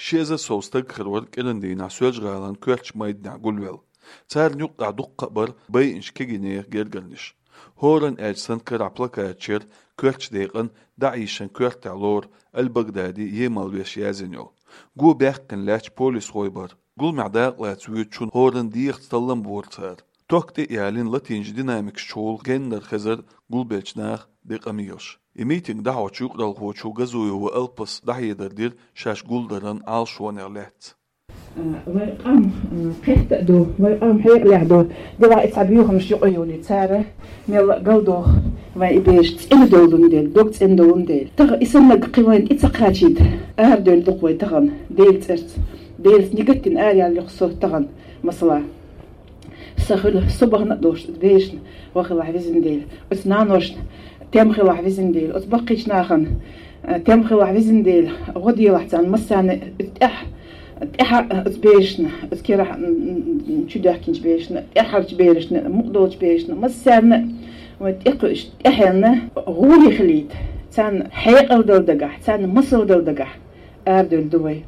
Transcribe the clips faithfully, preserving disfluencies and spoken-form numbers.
Ши эзар сов стаг хир вар кӀирандийнахь Соьлжа-ГӀалин коьртачу майданехь гулвелла. Царна юккъехь дуккха а бара байинчу кегийнехан гергарнаш. ХӀоранна аьлча санна карахь плакаташ яра коьртачу декъана ДАИШан коьртехь лору Аль-Багдади емал веш язйина йолу. Го баьккхина лаьтташ полисхой бара. Гуламехь дакъалаца воьдучунна хӀоранна дехарца таллам бора цара. Ток тӀе а ялийна латийначу динамикашкахула геннара хезара гулбеллачу наха декъам елаш. И митинг дӀахьочу юкъаралхочо Газуева Алпаса дӀахьедар дира шаьш гулдаран Ӏалашонех лаьцна. Вайн къам кхетта а ду, вайн къам хьекъалехь ду. Делахь и цхьа боьхамаш юкъа йолий цара, мелла а галдоху вайн и бераш цӀена долун дела, дог цӀена долун дела. Тахана и саннарг кхин вайна тӀе ца кхачийта, арадевлла ду-кх вай тахана Делан цӀарца. Делаца нигат дина араяьлла ю-кх со тахана, масала. Сан хуьлу со бахана а долуш оцу берашна гӀо хилахь везан Дела, оцу наношна тем хилахь везан Дела, оцу баккхийчу нахана, э, тем хилахь везан Дела, гӀо делахь царна массарна, тӀаьхьа, тӀаьхьа оцу берашна, оцу керахь, м, м, м, чудоьхкинчу берашна, тӀаьххьарчу берашна, мукъадолчу берашна, массарна а вайн тӀекхуьуш, тӀаьхьенна гӀури хилийта, царна хьекъал дала дагахь, царна масал дала дагахь арадевлла ду вай.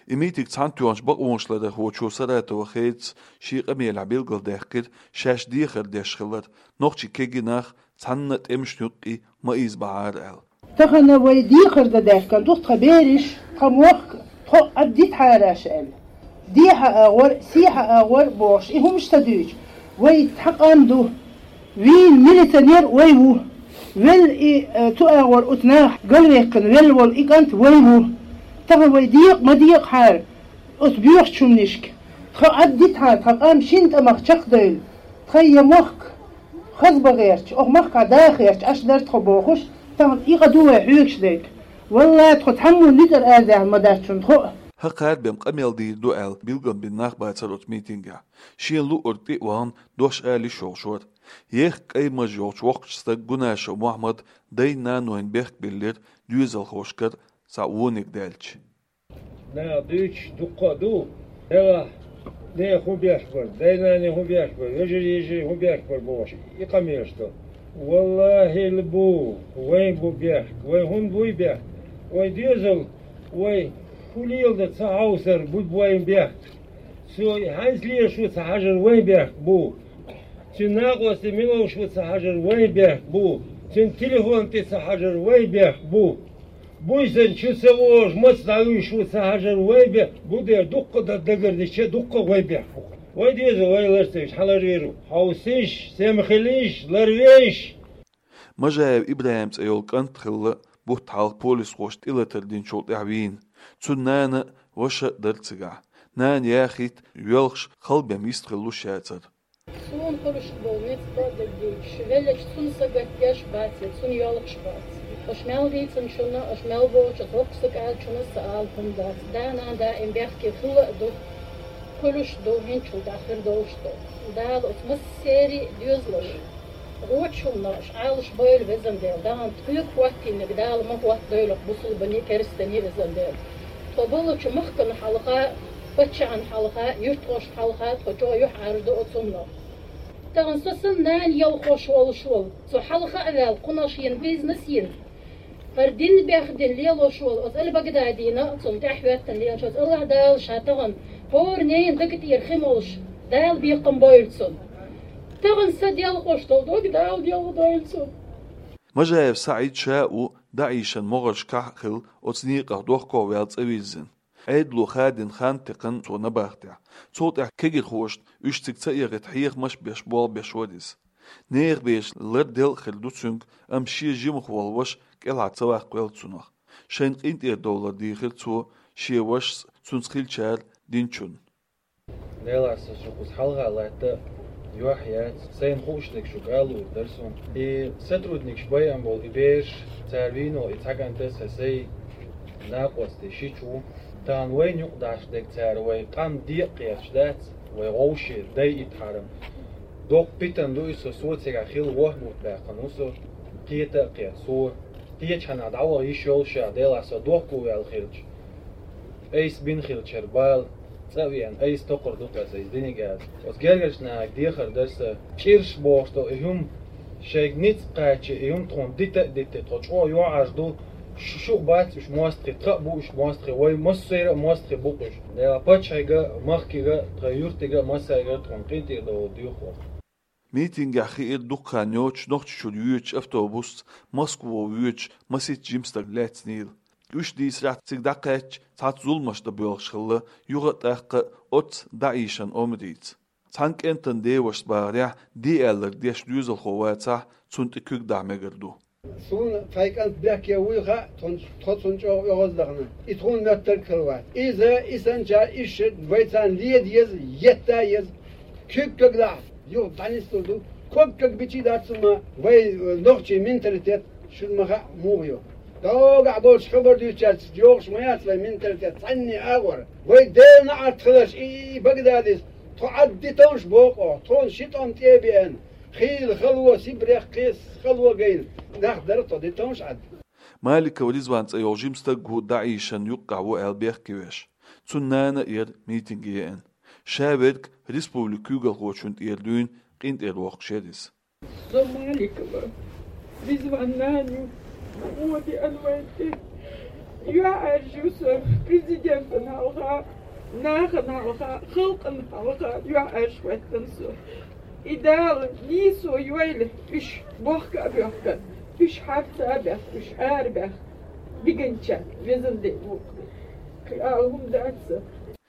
И митинг цхьаьнатоьхначу бакъонаш ларъярхочо Саратова Хедас шен къамелехь билгалдаьккхира, шаьш дехар деш хилар, нохчийн кегий нах цхьанна а тӀемашна юккъе ма ийзабахьара аьлла. Тахана вай дехар дан даьхкина ду тхан бераш, тхан мохк, тхо Ӏаддитахьара аша аьлла. Дехьа агӀор, сехьа агӀор бохуш, и хӀумаш ца дуьйцу. Вай тхан къам ду. Вийна милиционер вай ву. Велла и, э, цу агӀор оцу наха галваьккхина велла волу и кӀант вай ву. Тахана вай декъа ма декъахьара оцу боьхачу хӀуманашка. Тхан Ӏаддитахьара, тхан къам шина тӀамах чекхдевлла. Тхан я мохк хаза бан гӀерташ, оха махкахь даха гӀерташ, аша дара тхо бохуш, тахана и къа ду вай хьоьгуш дерг. Валлай, тхо цхьаммо ницкъара арадаьхна ма дац шуна тхо а. ХӀокхара бен къамел дийр ду аьлла билгал бина нах бацара оцу митингехь. Шена луъург тӀе а вахана, дош ала йиш йолуш вара. Ехха кӀайн маж йолчу воккхачу стага Гунашев Мохьмада дайн-нанойн бехк биллира доьзалхошкара цхьа вониг даьлча. Наха дуьйцуш дуккха а ду, делахь, нехан хӀун бехк бара, дай-наной хӀун бехк бара, вежарий-йижарий хӀун бехк бара бохуш, и къамелаш до. Валлахьил бу, вайн бу бехк, вайн хӀунда буй бехк? Вайн доьзал, вай хӀун леладан ца хьовсар бу вайн бехк. Цо хьаьнца лелаш ву ца хьажар вайн бехк бу. Цуьнан накъостий мила волуш ву ца хьажар вайн бехк бу. Цуьнан телефон тӀе ца хьажар вайн бехк бу. Буьйсанна чу ца вогӀуш, маца дӀавуьйш ву ца хьажар вайн бехк бу дера, дуккха а дан дагарнича, дуккха а вайн бехк бу. Вай деза, вай лар ца веш, хьан ларвийр ву? Хьовсийша, сема хилийша, ларвейша. Мажаев ИбрахӀим цӀе йолу кӀант хилла бутт хьалха полисхоша тӀелатар динчул тӀаьхьа вийна. Цуьнан нана а, ваша а дара цигахь. Нана яхийта, йоьлхуш, халбен йист хилла луш яцара. Суна хуьлуш болу ницкъ а дагадеъча, веллачу цунна са гатдеш бац я цунна йоьлхуш бац. Аша мел дийцинчунна, аша мел боцучу хӀокху са кӀалчунна сан ала хӀума дац. Да-нана даим бехке хилла а ду, хуьлуш а ду, хӀинцачул тӀаьхьа хир долуш а ду. Дала оцу массеран а доьзалш гӀочу хӀуманаш Ӏалашбойла, везан Дела, дахана тхоьга хӀоттийнарг Дала ма хӀоттадойла бусулбане, керстане, везан Дела. Тхо болчу махкана хьалха, паччахьна хьалха, юьртахошна хьалха тхо чӀогӀа юьхьӀаьржа ду оцу хӀуманах. Тахана со санна нана йоьлхуш волуш волу, цо хьалха а ваьлла, кхунаш йина, бизнес йина. ХӀара дин бехдина лелош волу оцу Аль-Багдадина, цунна тӀаьхьахӀоьттина лелаш оцу АллахӀ Дала ша тахана хӀора ненан дага тӀера хи молуш, Дала бекхам бойла цунна. Тахана сан делхош долу дог Дала делхадойла цунна. Мажаев СаӀид ша а ву ДАИШан могӀаршкахь а хилла, оцу некъах дохко а ваьлла цӀа вирзина. Ӏедало хадийна хан текхна цо набахтехь. Цул тӀаьхьа кегирхошна уьш цига ца эгӀийта хьехамаш а беш болх беш вара иза. Нехан бераш ларделла а хир ду цуьнга, амма шен жимах волу ваша кӀелхьара ца ваккхавелла цунах. Шайна къинтӀера довлар дийхира цо шен вашас, цуьнца хиллачара динчунна. Делахь сан шу кхуза хьалха латта юьхь яц, сайна хууш дерг шуьга ала луур дара суна. И сотрудникаш байъина болу и бераш, цара вийна волу и цхьа кӀант а сан, сайн накъостий шича ву. Тахана вайна юкъадахьаш дерг цара вай къам декъа кхеташ дац, вай гӀовший дайийтахьара. Доккха питана ду и со, со цигахь хилла ворхӀ бутт баьккхина ву со, кхета а кхета со. Кхечу хьанна дӀаваха йиш йолуш а, делахь со дохко ваьлла хилча, айса бина хилчара бала, цӀа а веана, айса токхур ду-кх аса иза диниг аса. Оцу гергарчу нахе дехар дара сан. ЧӀирш бохуш долу и хӀума шайга ницкъ кхача, и хӀума тхуна дита а дитти, тхо чӀогӀа юьхьӀаьржа ду, Шу-, шух бац уьш мостагӀий, тха а бу уьш мостагӀий, вай массеран а мостагӀий бу-кх уьш. Дела паччахьига а, махкига а, тха юртига а, массарига а тхуна къинтӀера довла доьху. Митингехь хиира дукха хан йоцуш Нохчийчуьра йоьдучу автобусца Москва воьдуш масийтта жима стаг лаьцнийла. Уьш дийцарехь, цига дӀакхаьчча, цхьацца зуламаш дан боьлхуш хилла, юха а тӀаккха оццу ДАИШан омрица. Цхьана кӀентан девашас бахарехь, де аьлларг деш доьзалхо вацахь, цунна тӀе куьг дахьа мегар ду. Суна сайн кӀант бехке вуй хаьа, тхо, тхо цунна чӀогӀа оьгӀаздахана. И тхуна моьттург хилла вац. Иза, и санначара иштта вай царна леда еза, етта еза. Куьг кагадахь, юха дӀанислур ду. Ког кагбичий дац хӀума, вай, э, нохчийн менталитет шуна ма хаьа муха ю. ДогӀахь болчу хабар дуьйцучаьрца йогӀуш ма яц вай менталитет, цхьанне агӀор. Вай Делан неӀарт хиларш и, и, и Багдадис, тхо Ӏад де товш боху оха, тхуна ши тӀом тӀе а беана. Хийла хало, Сибрех кхин хало гайна, нах дара тхо де товш Ӏад. Маликов Ризван цӀе йолу жима стаг хӀу ДАИШан юккъехь ву аьлла бехке веш. Цуьнан нана а яра митинге еана. Ша верг республикан куьйгалхочунна тӀера дуьйна къинтӀера воккхуш яра иза. Со Маликова Ризван нана ю, вон деана вайн тӀе. ЮьхьӀаьржа ю со президентана хьалха, нахана хьалха, халкъана хьалха юьхьӀаьржа хӀоьттина со. И Дала нийсо йойла уьш бохка а боьхкина, уьш харца а баьхна, уьш арабаьхна, дигначарна везан де ву. Кхин ала хӀума дац сан.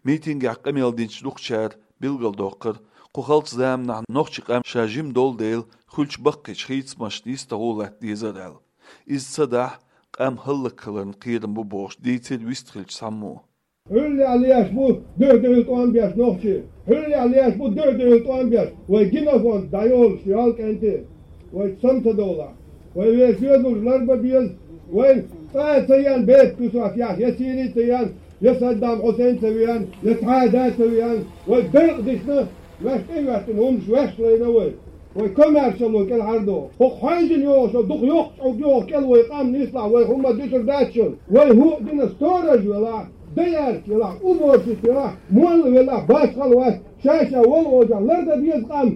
Митингехь къамел динчу дукхачара билгалдоккхура, кху халчу заманахь нохчийн къам ша жима долу дела, хуьлучу баккхийчу хийцамашна йистехула латта дезара аьлла. Иза ца дахь, къам хӀаллакьхиларна кхерам бу бохуш дийцира вистхиллачу цхьаммо. Хьуьллехь леш бу дуьхь-дуьхьал тӀом беш нохчий. Хьуьллехь леш бу дуьхь-дуьхьал тӀом беш. Вай генофонд дӀайолуш йолу кӀентий. Вай сам ца довлахь. Вай вешан доьзалш ларбан беза. Вай цӀа а ца еана, бепиг куьсош яхь, я Сири ца еана, я Саддам Хьусайн ца веана, я цхьа а да ца веана. Вай декъа дисна, ваьш тӀе а ваьттина, хӀуманаш ваьш лайна вай. Вай комаьршалло кӀелхьардо. ХӀокху хьаьжжина йогӀуш, дукха йоккха чӀогӀа йогӀу кӀел вай къам нислахь, вай хӀумма дуьсур дац шуна. Вай хӀуъа дина сторож велахь, даярча елахь, уборщица елахь, молла велахь, башхалла вац, ша-ша волу ожа лардан беза къам.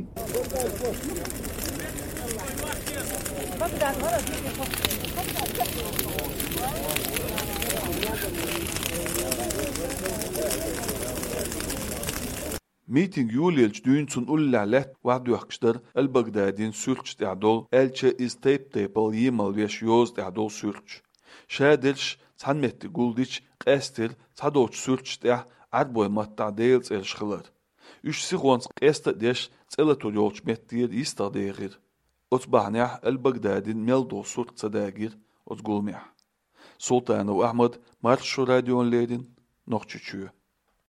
Митинг йолаелча дуьйна цунна уллехь лаьтта охьадоьхкуш дара Аль-Багдадин суьрташ тӀехь долу, аьлча иза тайп-тайпана емал веш йоза тӀехь долу суьрташ. Шадерш цхьана метте гулдича, къаьстира цхьадолчу суьрташ тӀехь Ӏарбойн маттахь Делан цӀераш хилар. Уьш сихонца къеста а деш, цӀе латур йолчу меттера йистах дехира. Оцу бахьанехь Аль-Багдадин мел долу сурт ца дагийра оцу гуламехь. Султанов Ахьмад, Маршо радиона леррина, Нохчийчоь.